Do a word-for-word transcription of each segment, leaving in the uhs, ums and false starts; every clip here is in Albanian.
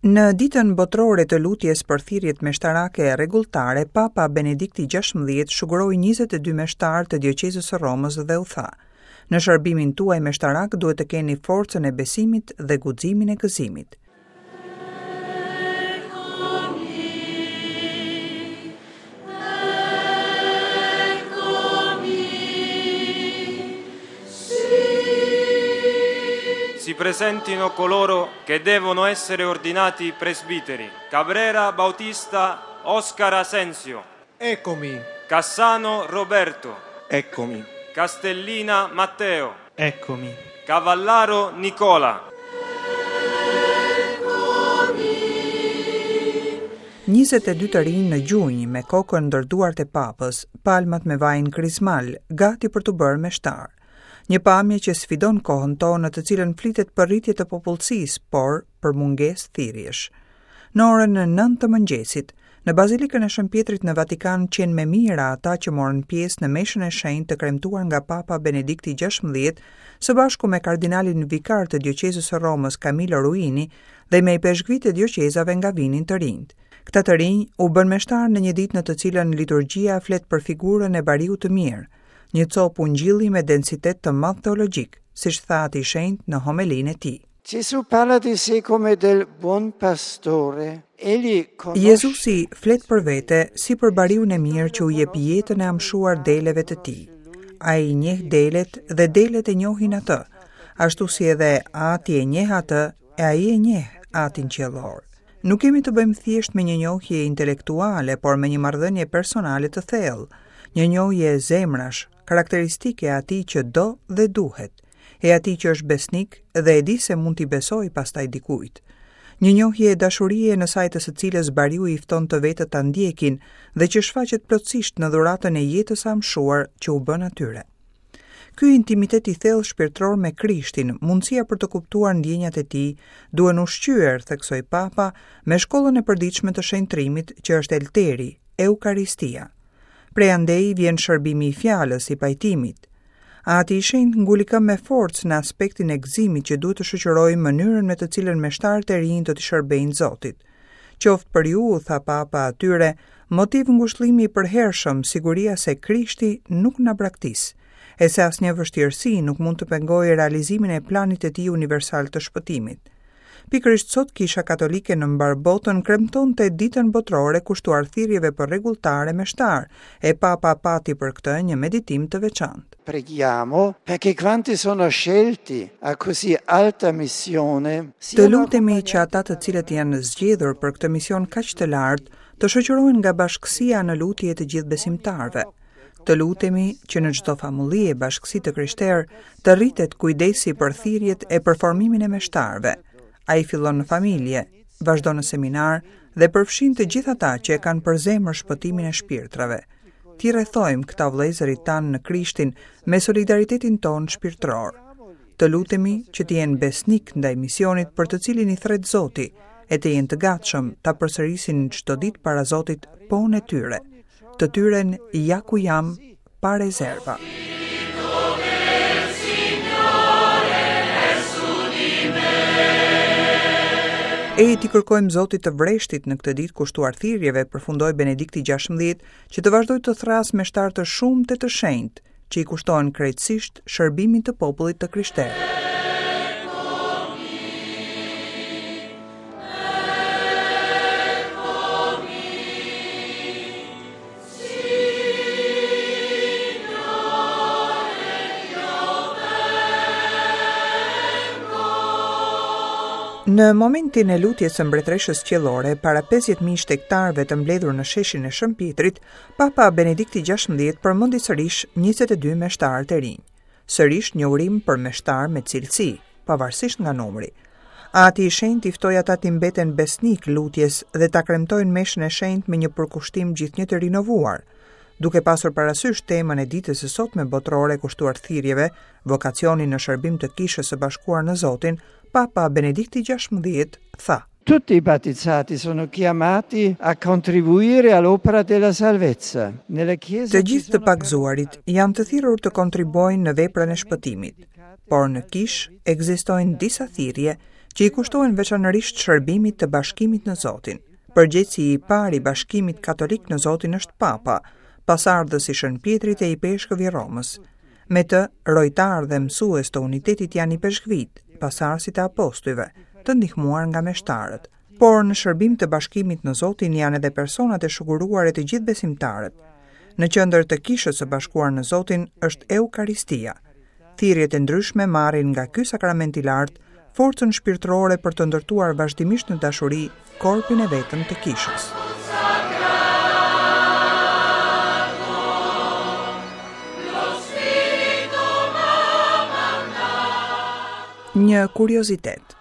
Në ditën botërore të lutjes për thirrjet meshtarake e rregulltare, Papa Benedikti gjashtëmbëdhjetë shuguroi njëzet e dy meshtarë të dioqezës së Romës dhe u tha: Në shërbimin tuaj meshtarak duhet të keni forcën e besimit dhe guximin e gëzimit. Si presentino coloro che devono essere ordinati presbiteri. Cabrera Bautista Oscar Asensio. Eccomi. Cassano Roberto. Eccomi. Castellina Matteo. Eccomi. Cavallaro Nicola. njëzet e dy të rinj në gjunjë me kokën ndër duart e papës, palmat me vajin krizmal, gati për t'u bërë meshtar. Një pamje që sfidon kohën tonë në të cilën flitet për rritje të popullsisë, por për mungesë thirrjesh. Në orën nëntë të mëngjesit, në Bazilikën e Shën Pietrit në Vatikan qenë me mijëra ata që morën pjesë në meshën e shenjtë të kremtuar nga Papa Benedikti gjashtëmbëdhjetë, së bashku me kardinalin vikar të dioqezës së Romës Camillo Ruini dhe me ipeshkvit e dioqezave nga vinin të rinjt. Këta të rinj u bën meshtar në një ditë në të cilën liturgjia flet për figurën e bariut të mirë, një copë ungjilli me densitet të madh teologjik, siç tha Ati i Shenjtë në homelinë e tij. Gesù parla di sé come del buon pastore. Egli conosce Jezusi flet për vete si për bariun e mirë që u jep jetën e amshuar deleve të tij. Ai i njeh delet dhe delet e njohin atë, ashtu si edhe Ati e njeh atë e ai e njeh Atin qiellor. Nuk kemi të bëjmë thjesht me një njohje intelektuale, por me një marrëdhënie personale të thellë, një njohje e zemrash, karakteristike e atij që do dhe duhet, e atij që është besnik dhe e di se mund t'i besojë pastaj dikujt. Një njohje e dashurie në saj të së cilës bariu i fton të vetët ta ndjekin dhe që shfaqet plotësisht në dhuratën e jetës së amshuar që u bën atyre. Ky intimitet i thellë shpirtëror me Krishtin, mundësia për të kuptuar ndjenjat e tij, duhen ushqyer, theksoi Papa, me shkollën e përditshme të shenjtrimit që është Elteri, Eukaristia. Prej andej vjen shërbimi i fjalës, i pajtimit. Ati i Shenjtë nguli këmbë me forcë në aspektin e gëzimit që duhet të shoqërojë mënyrën me të cilën meshtarët e rinj do t'i shërbejnë Zotit. Qoftë për ju, u tha Papa atyre, motiv ngushëllimi i përhershëm, siguria se Krishti nuk na braktis, e se asnjë vështirësi nuk mund të pengojë realizimin e planit të tij universal të shpëtimit. Pikërisht sot Kisha Katolike në mbar botën kremtonte ditën botërore kushtuar thirrjeve për rregulltare meshtar, e Papa pati për këtë një meditim të veçantë. Preghiamo perché quanti sono scelti a così alta missione Të lutemi që ata të cilët janë zgjedhur për këtë mision kaq të lartë, të shoqërohen nga bashkësia në lutje të gjithë besimtarëve. Të lutemi që në çdo famulli e bashkësi të krishterë të rritet kujdesi për thirrjet e për formimin e meshtarëve. Ai fillon në familje, vazhdon në seminar dhe përfshin të gjithë ata që e kanë për zemër shpëtimin e shpirtrave. Ti rrethojmë këta vëllezërit tanë në Krishtin me solidaritetin tonë shpirtëror. Të lutemi që të jenë besnik ndaj misionit për të cilin i thret Zoti, e të jenë të gatshëm ta përsërisin çdo ditë para Zotit pon e tyre. Të tyren ja ku jam pa rezerva. E ti kërkojmë Zotit të vreshtit në këtë ditë kushtuar thirrjeve, përfundoi Benedikti gjashtëmbëdhjetë, që të vazhdojë të thrasë meshtar të shumtë e të shenjtë, që i kushtohen krejtësisht shërbimit të popullit të krishterë. Në momentin e lutjes së mbretëreshës qiellore, para pesëdhjetë mijë shtegtarëve të mbledhur në sheshin e Shën Pietrit, Papa Benedikti gjashtëmbëdhjetë përmendi sërish njëzet e dy meshtarët e rinj. Sërish një urim për meshtar me cilësi, pavarësisht nga numri. Ati i Shenjtë i ftoi ata t'i mbeten besnik lutjes dhe ta kremtojnë meshën e shenjtë me një përkushtim gjithnjë të rinovuar. Duke pasur parasysh temën e ditës së sotme botërore kushtuar thirrjeve, vokacionin në shërbim të Kishës së Bashkuar në Zotin, Papa Benedikti gjashtëmbëdhjetë tha: Tutti i battezzati sono chiamati a contribuire all'opera della salvezza. Nella Chiesa Të ci gjithë të sono pagëzuarit janë të thirrur të kontribuojnë në veprën e shpëtimit, por në kishë ekzistojnë disa thirrje që i kushtohen veçanërisht shërbimit të bashkimit në Zotin. Përgjegjësi i parë i bashkimit katolik në Zotin është Papa, pasardhës i Shën Pjetrit e ipeshkëv i Romës. Me të, rojtar dhe mësues të unitetit janë ipeshkvit, pasardhësit e apostujve, të ndihmuar nga meshtarët. Por në shërbim të bashkimit në Zotin janë edhe personat e shuguruar e të gjithë besimtarët. Në qendër të kishës së bashkuar në Zotin është Eukaristia. Thirrjet e ndryshme marrin nga ky sakrament i lartë forcën shpirtërore për të ndërtuar vazhdimisht në dashuri korpin e vetëm të kishës. Një kuriozitet.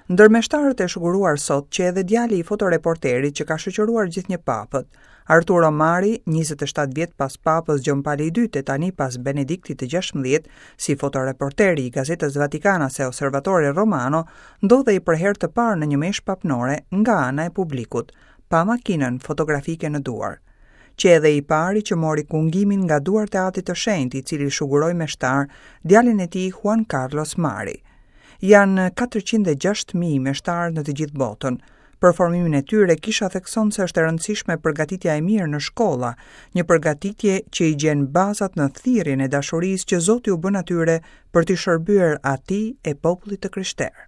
Ndër meshtarët e shuguruar sot që edhe djali i fotoreporterit që ka shoqëruar gjithnjë papët, Arturo Mari, njëzet e shtatë vjet pas papës Gjon Pali i dytë e tani pas Benediktit të gjashtëmbëdhjetë, si fotoreporteri i gazetës Vatikanase Osservatore Romano, ndodhej për herë të parë në një meshë papnore nga ana e publikut, pa makinën fotografike në duar. Që edhe i pari që mori kungimin nga duart e Atit të Shenjtë, i cili shuguroi meshtar djalin e tij Juan Carlos Mari. Janë katërqind e gjashtë mijë meshtarë në të gjithë botën. Për formimin e tyre, kisha thekson se është e rëndësishme përgatitja e mirë në shkolla, një përgatitje që i gjen bazat në thirrjen e dashurisë që Zoti u bën atyre për t'i shërbyer atij e popullit të krishterë.